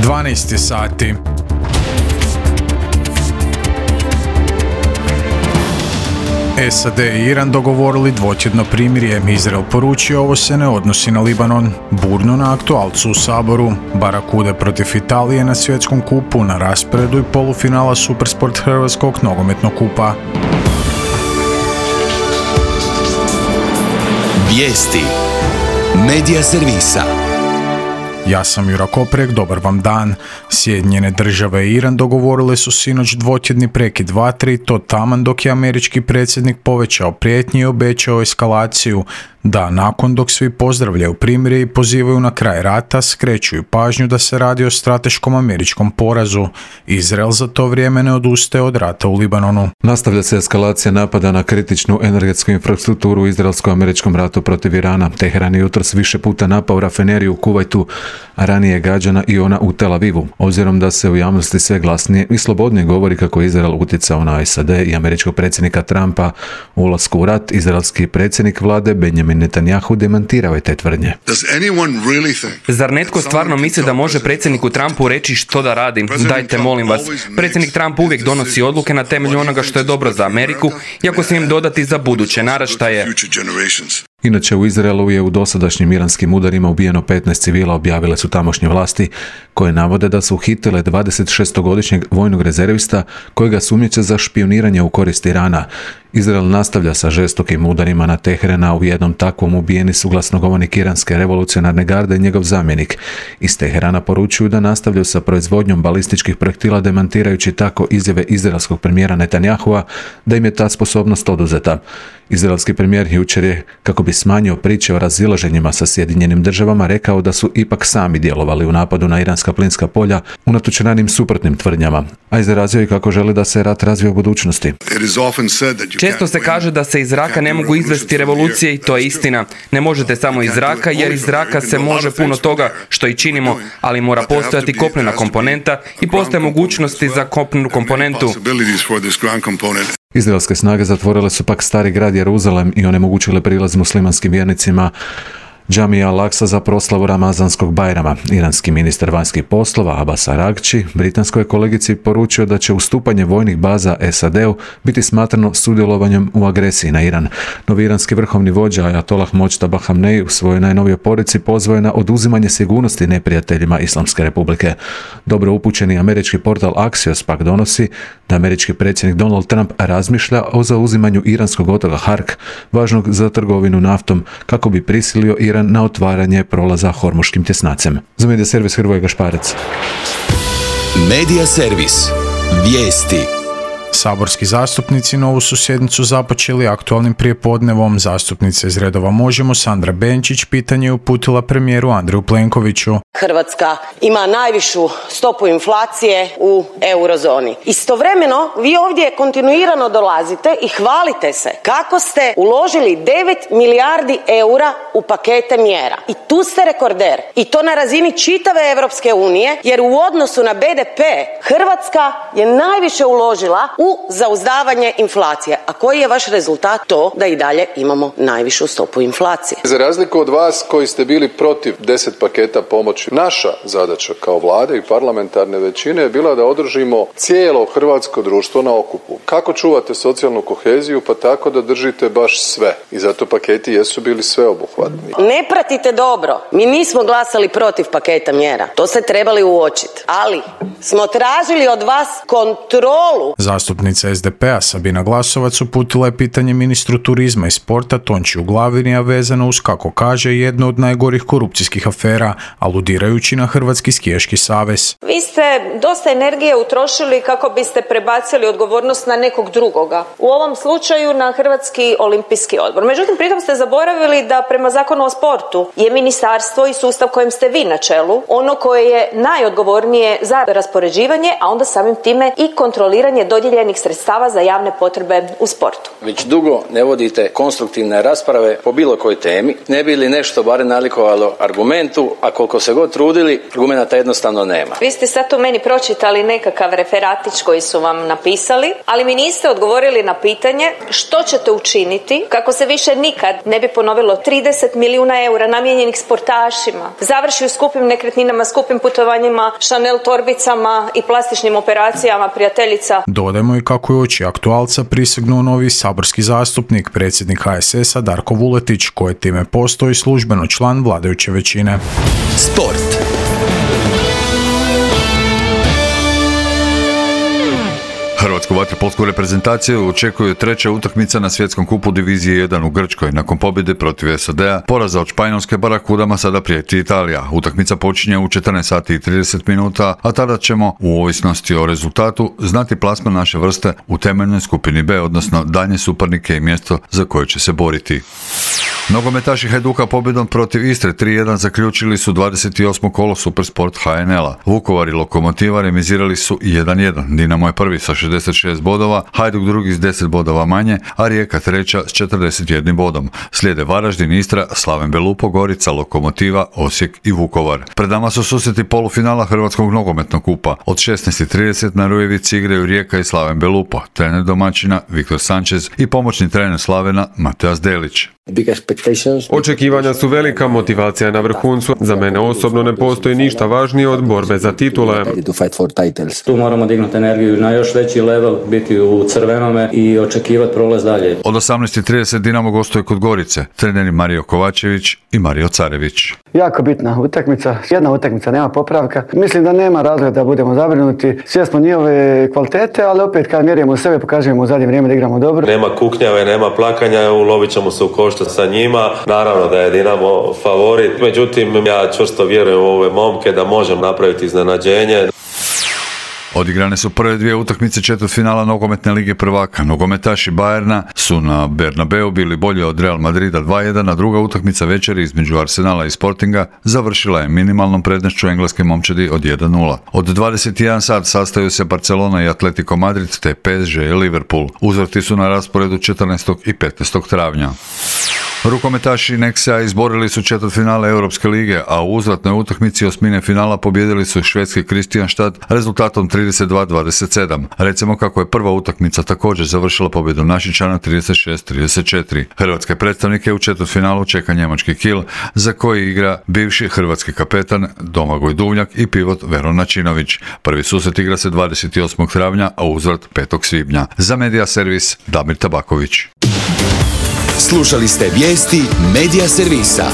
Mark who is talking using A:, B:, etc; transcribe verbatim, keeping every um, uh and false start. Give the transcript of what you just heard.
A: dvanaest sati. S A D i Iran dogovorili dvotjedno primirje. Izrael poručio ovo se ne odnosi na Libanon. Burno na aktualcu u Saboru. Barakude protiv Italije na svjetskom kupu, na rasporedu i polufinala Supersport Hrvatskog nogometnog kupa.
B: Vijesti Medija servisa.
A: Ja sam Jura Koprek, dobar vam dan. Sjedinjene države i Iran dogovorile su sinoć dvotjedni prekid vatre i to taman dok je američki predsjednik povećao prijetnje i obećao eskalaciju. Da, nakon dok svi pozdravljaju primirje i pozivaju na kraj rata, skrećuju pažnju da se radi o strateškom američkom porazu. Izrael za to vrijeme ne odustaje od rata u Libanonu.
C: Nastavlja se eskalacija napada na kritičnu energetsku infrastrukturu u izraelsko-američkom ratu protiv Irana. Teheran je jutros više puta napao rafineriju u Kuvajtu, a ranije je gađana i ona u Tel Avivu. Obzirom da se u javnosti sve glasnije i slobodnije govori kako je Izrael utjecao na S A D i američkog predsjednika Trumpa u ulasku u rat, izraelski predsjednik vlade Benjamin Netanyahu demantirao je te tvrdnje.
D: Zar netko stvarno misli da može predsjedniku Trumpu reći što da radi? Dajte, molim vas. Predsjednik Trump uvijek donosi odluke na temelju onoga što je dobro za Ameriku, iako smijem dodati za buduće naraštaje.
C: Inače, u Izraelu je u dosadašnjim iranskim udarima ubijeno petnaest civila, objavile su tamošnje vlasti, koje navode da su uhitile dvadesetšestogodišnjeg vojnog rezervista kojega sumnjiče za špioniranje u korist Irana. Izrael nastavlja sa žestokim udarima na Teherana. U jednom takvom ubijeni su glasnogovornik iranske revolucionarne garde i njegov zamjenik. Iz Teherana poručuju da nastavljaju sa proizvodnjom balističkih projektila, demantirajući tako izjave izraelskog premijera Netanyahua da im je ta sposobnost oduzeta. Izraelski premijer jučer je, kako bi smanjio priče o razilaženjima sa Sjedinjenim državama, rekao da su ipak sami djelovali u napadu na iranska plinska polja unatoč ranim suprotnim tvrdnjama, a izrazio i kako želi da se rat razvije u budućnosti.
D: Često se kaže da se iz zraka ne mogu izvesti revolucije i to je istina. Ne možete samo iz zraka, jer iz zraka se može puno toga što i činimo, ali mora postojati kopnena komponenta i postoje mogućnosti za kopnenu komponentu.
C: Izraelske snage zatvorile su pak stari grad Jeruzalem i onemogućile prilaz muslimanskim vjernicima Džamija Al-Aksa za proslavu Ramazanskog Bajrama. Iranski ministar vanjskih poslova Abbas Aragči britanskoj kolegici poručio da će ustupanje vojnih baza S A D-u biti smatrano sudjelovanjem u agresiji na Iran. Novi iranski vrhovni vođa Ajatollah Mojtaba Khamenei u svojoj najnovijoj poruci pozvao je na oduzimanje sigurnosti neprijateljima Islamske republike. Dobro upućeni američki portal Axios pak donosi da američki predsjednik Donald Trump razmišlja o zauzimanju iranskog otoka Hark, važnog za trgovinu naftom, kako bi prisilio Iran na otvaranje prolaza Hormuškim tjesnacem. Za Medija servis Hrvoje Gašparec.
B: Medija servis. Vijesti.
A: Saborski zastupnici novu su sjednicu započeli aktualnim prijepodnevom. Zastupnica iz redova Možemo, Sandra Benčić, pitanje je uputila premijeru Andreju Plenkoviću.
E: Hrvatska ima najvišu stopu inflacije u eurozoni. Istovremeno, vi ovdje kontinuirano dolazite i hvalite se kako ste uložili devet milijardi eura u pakete mjera. I tu ste rekorder. I to na razini čitave Europske unije, jer u odnosu na B D P Hrvatska je najviše uložila u zauzdavanje inflacije. A koji je vaš rezultat? To da i dalje imamo najvišu stopu inflacije.
F: Za razliku od vas koji ste bili protiv deset paketa pomoći, naša zadaća kao vlade i parlamentarne većine je bila da održimo cijelo hrvatsko društvo na okupu. Kako čuvate socijalnu koheziju? Pa tako da držite baš sve. I zato paketi jesu bili sveobuhvatni.
E: Ne pratite dobro. Mi nismo glasali protiv paketa mjera. To ste trebali uočiti. Ali smo tražili od vas kontrolu.
A: Zastupnica S D P-a Sabina Glasovac uputila je pitanje ministru turizma i sporta Tončiju Glavini, a vezano uz, kako kaže, jednu od najgorih korupcijskih afera, aludirajući na Hrvatski skijaški savez.
G: Vi ste dosta energije utrošili kako biste prebacili odgovornost na nekog drugoga. U ovom slučaju na Hrvatski olimpijski odbor. Međutim, pritom ste zaboravili da prema Zakonu o sportu je ministarstvo i sustav kojem ste vi na čelu ono koje je najodgovornije za raspoređivanje, a onda samim time i kontroliranje dodijeljene dodijeljenih sredstava za javne potrebe u sportu.
H: Već dugo ne vodite konstruktivne rasprave po bilo kojoj temi, ne bi li nešto barem nalikovalo argumentu, a koliko se god trudili, argumenta jednostavno nema.
G: Vi ste sad tu meni pročitali nekakav referatić koji su vam napisali, ali mi niste odgovorili na pitanje što ćete učiniti kako se više nikad ne bi ponovilo trideset milijuna eura namijenjenih sportašima, završi u skupim nekretninama, skupim putovanjima, Chanel torbicama i plastičnim operacijama prijateljica.
A: Dodajmo i kako je uoči aktualca prisegnuo novi saborski zastupnik, predsjednik H S S-a Darko Vuletić, koji time postoji službeno član vladajuće većine.
B: Sport.
I: Hrvatsku vaterpolsku reprezentaciju očekuje treća utakmica na svjetskom kupu divizije jedan u Grčkoj. Nakon pobjede protiv S A D-a, poraza od Španjolske, Barakudama sada prijeti Italija. Utakmica počinje u četrnaest sati i trideset minuta, a tada ćemo, u ovisnosti o rezultatu, znati plasman naše vrste u temeljnoj skupini B, odnosno daljnje suparnike i mjesto za koje će se boriti. Nogometaši Hajduka pobjedom protiv Istre tri jedan zaključili su dvadeset osmo kolo Supersport H N L-a. Vukovar i Lokomotiva remizirali su jedan jedan. Dinamo je prvi sa šezdeset šest bodova, Hajduk drugi s deset bodova manje, a Rijeka treća s četrdeset jednim bodom. Slijede Varaždin, Istra, Slaven Belupo, Gorica, Lokomotiva, Osijek i Vukovar. Pred nama su susreti polufinala Hrvatskog nogometnog kupa. Od šesnaest i trideset na Rujevici igraju Rijeka i Slaven Belupo, trener domaćina Viktor Sanchez i pomoćni trener Slavena Mateas Delić.
J: Očekivanja su velika, motivacija je na vrhuncu. Za mene osobno ne postoji ništa važnije od borbe za titule.
K: Tu moramo dignuti energiju na još veći level, biti u crvenome i očekivati prolaz dalje.
I: Od osamnaest i trideset Dinamo gostuje kod Gorice, treneri Mario Kovačević i Mario Carević.
L: Jako bitna utakmica, jedna utakmica, nema popravka. Mislim da nema razloga da budemo zabrinuti. Svjesni smo njihove kvalitete, ali opet kad mjerimo sebe, pokažemo u zadnje vrijeme da igramo dobro.
M: Nema kuknjave, nema plakanja, ulovit ćemo se u koštac sa njima. Naravno da je Dinamo favorit, međutim ja čvrsto vjerujem u ove momke da možemo napraviti iznenađenje.
I: Odigrane su prve dvije utakmice četvrtfinala nogometne lige prvaka. Nogometaši Bayerna su na Bernabeu bili bolji od Real Madrida dva jedan, a druga utakmica večeri između Arsenala i Sportinga završila je minimalnom prednošću engleske momčadi od jedan nula. Od dvadeset jedan sat sastaju se Barcelona i Atletico Madrid te P S G i Liverpool. Uzvrati su na rasporedu četrnaestog i petnaestog travnja. Rukometaši Nexea izborili su četvrtfinale Europske lige, a u uzvratnoj utakmici osmine finala pobjedili su švedski Kristianstad rezultatom trideset dva dvadeset sedam. Recimo kako je prva utakmica također završila pobjedom Našičana trideset šest trideset četiri. Hrvatske predstavnike u četvrtfinalu čeka njemački Kiel, za koji igra bivši hrvatski kapetan Domagoj Duvnjak i pivot Veron Načinović. Prvi susret igra se dvadeset osmog travnja, a uzvrat petog svibnja. Za Medija Servis Damir Tabaković.
B: Slušali ste vijesti Medija Servisa.